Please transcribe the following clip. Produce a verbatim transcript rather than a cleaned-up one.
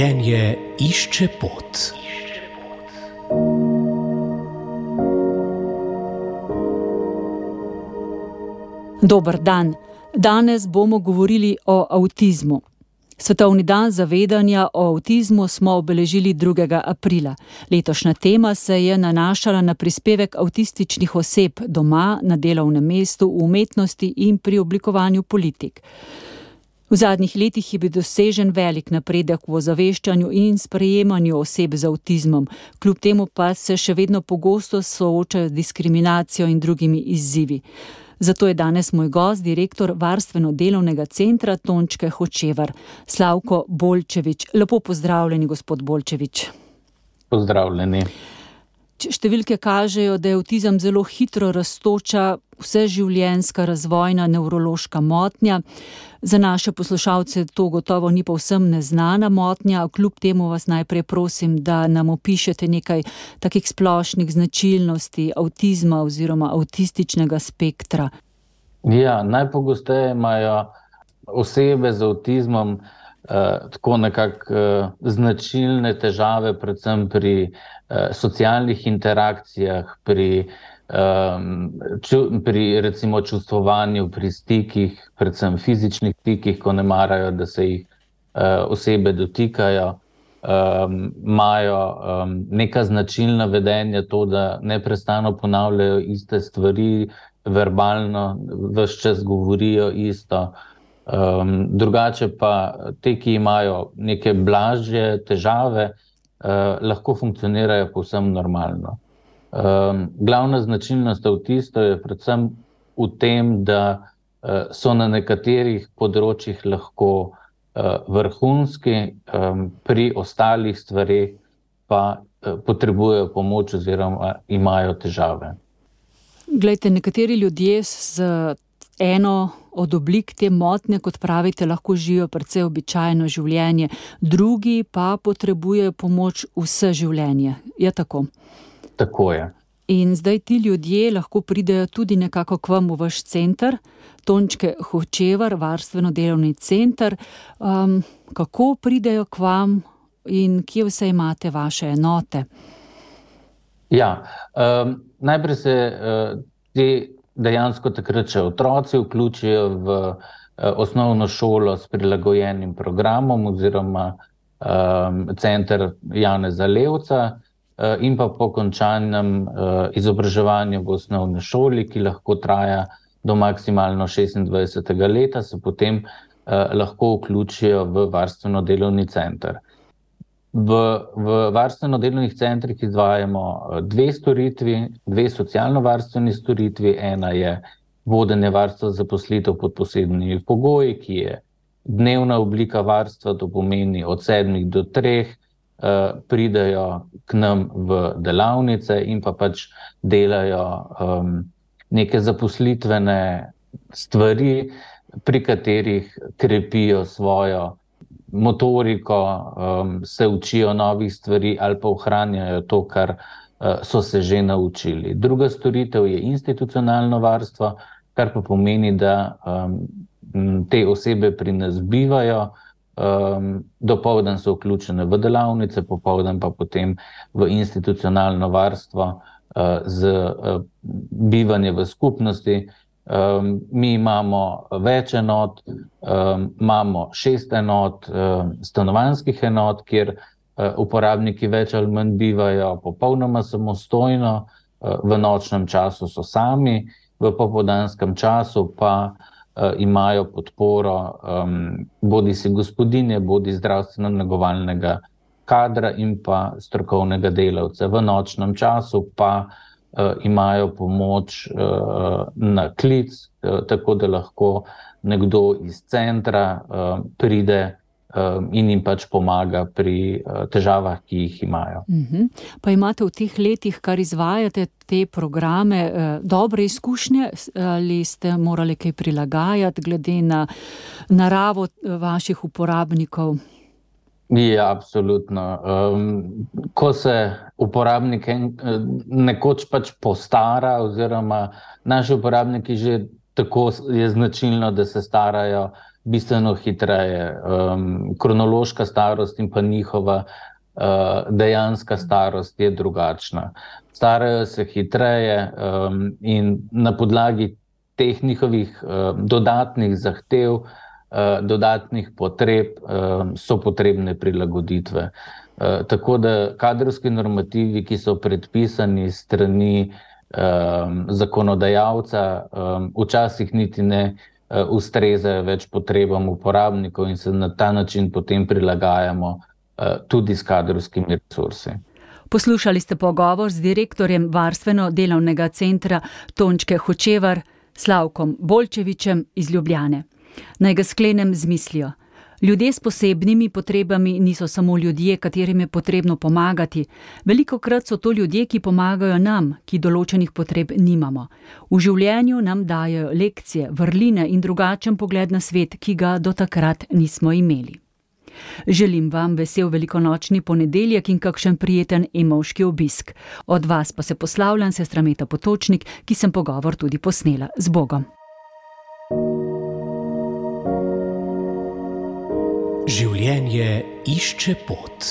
Življenje išče pot. Dober dan. Danes bomo govorili o avtizmu. Svetovni dan zavedanja o avtizmu smo obeležili drugega aprila. Letošnja tema se je nanašala na prispevek avtističnih oseb doma, na delovnem mestu, v umetnosti in pri oblikovanju politik. V zadnjih letih je bil dosežen velik napredek v ozaveščanju in sprejemanju oseb z avtizmom, kljub temu pa se še vedno pogosto soočajo z diskriminacijo in drugimi izzivi. Zato je danes moj gost, direktor Varstveno-delovnega centra Tončke Hočevar, Slavko Bolčevič. Lepo pozdravljeni, gospod Bolčevič. Pozdravljeni. Številke kažejo, da je avtizem zelo hitro rastoča, vseživljenjska razvojna nevrološka motnja. Za naše poslušalce to gotovo ni povsem neznana motnja, a kljub temu vas najprej prosim, da nam opišete nekaj takih splošnih značilnosti avtizma oziroma avtističnega spektra. Ja, najpogosteje imajo osebe z avtizmom eh, tako nekako eh, značilne težave, predvsem pri eh, socialnih interakcijah, pri Um, ču, pri recimo čustvovanju, pri stikih, predvsem fizičnih stikih, ko ne marajo, da se jih uh, osebe dotikajo, um, imajo um, neka značilna vedenja, to, da neprestano ponavljajo iste stvari, verbalno, ves čas govorijo isto. Um, drugače pa te, ki imajo neke blažje težave, uh, lahko funkcionirajo povsem normalno. Um, glavna značilnost avtistov je predvsem v tem, da uh, so na nekaterih področjih lahko uh, vrhunski, um, pri ostalih stvareh pa uh, potrebujejo pomoč oziroma imajo težave. Glejte, nekateri ljudje z eno od oblik te motnje, kot pravite, lahko živijo precej običajno življenje, drugi pa potrebujejo pomoč vse življenje. Je tako? Tako je. In zdaj ti ljudje lahko pridejo tudi nekako k vam v vaš center, Tončke Hočevar, Varstveno-delovni center. Um, kako pridejo k vam in kje vse imate vaše enote? Ja, um, najprej se uh, te dejansko takrat še otroci vključijo v uh, osnovno šolo s prilagojenim programom oziroma um, center Janeza Levca, in pa po končanem uh, izobraževanju v osnovni šoli, ki lahko traja do maksimalno šestindvajsetega leta, se potem uh, lahko vključijo v varstveno-delovni center. V, v varstveno-delovnih centrih izvajamo dve storitvi, dve socialno-varstveni storitvi. Ena je vodenje varstva zaposlitev pod posebnimi pogoji, ki je dnevna oblika varstva, to pomeni od sedmih do treh, pridajo k nam v delavnice in pa pač delajo um, neke zaposlitvene stvari, pri katerih krepijo svojo motoriko, um, se učijo novih stvari ali pa ohranjajo to, kar uh, so se že naučili. Druga storitev je institucionalno varstvo, kar pa pomeni, da um, te osebe pri nas bivajo. Um, dopoldan so vključene v delavnice, popoldan pa potem v institucionalno varstvo uh, z uh, bivanje v skupnosti. Um, mi imamo več enot, um, imamo šest enot, um, stanovanjskih enot, kjer uh, uporabniki več ali manj bivajo popolnoma samostojno, uh, v nočnem času so sami, v popoldanskem času pa Uh, imajo podporo um, bodi si gospodinje, bodi zdravstveno-negovalnega kadra in pa strokovnega delavca. V nočnem času pa uh, imajo pomoč uh, na klic, uh, tako da lahko nekdo iz centra uh, pride uh, in jim pač pomaga pri uh, težavah, ki jih imajo. Uh-huh. Pa imate v teh letih, kar izvajate te programe, dobre izkušnje ali ste morali kaj prilagajati glede na naravo vaših uporabnikov? Ja, absolutno. Um, ko se uporabnik nekoč pač postara oziroma naši uporabniki že tako je značilno, da se starajo bistveno hitreje. Um, kronološka starost in pa njihova uh, dejanska starost je drugačna. Starajo se hitreje um, in na podlagi teh njihovih uh, dodatnih zahtev, uh, dodatnih potreb uh, so potrebne prilagoditve. Uh, tako da kadrovski normativi, ki so predpisani strani um, zakonodajalca, um, včasih niti ne uh, ustrezajo več potrebam uporabnikov in se na ta način potem prilagajamo uh, tudi s kadrovskimi resursi. Poslušali ste pogovor z direktorjem Varstveno-delovnega centra Tončke Hočevar, Slavkom Bolčevičem iz Ljubljane. Naj ga sklenem z mislijo. Ljudje s posebnimi potrebami niso samo ljudje, katerim je potrebno pomagati. Velikokrat so to ljudje, ki pomagajo nam, ki določenih potreb nimamo. V življenju nam dajo lekcije, vrline in drugačen pogled na svet, ki ga do takrat nismo imeli. Želim vam vesel velikonočni ponedeljek in kakšen prijeten emovški obisk. Od vas pa se poslavljam, sestra Meta Potočnik, ki sem pogovor tudi posnela. Z Bogom. Življenje išče pot.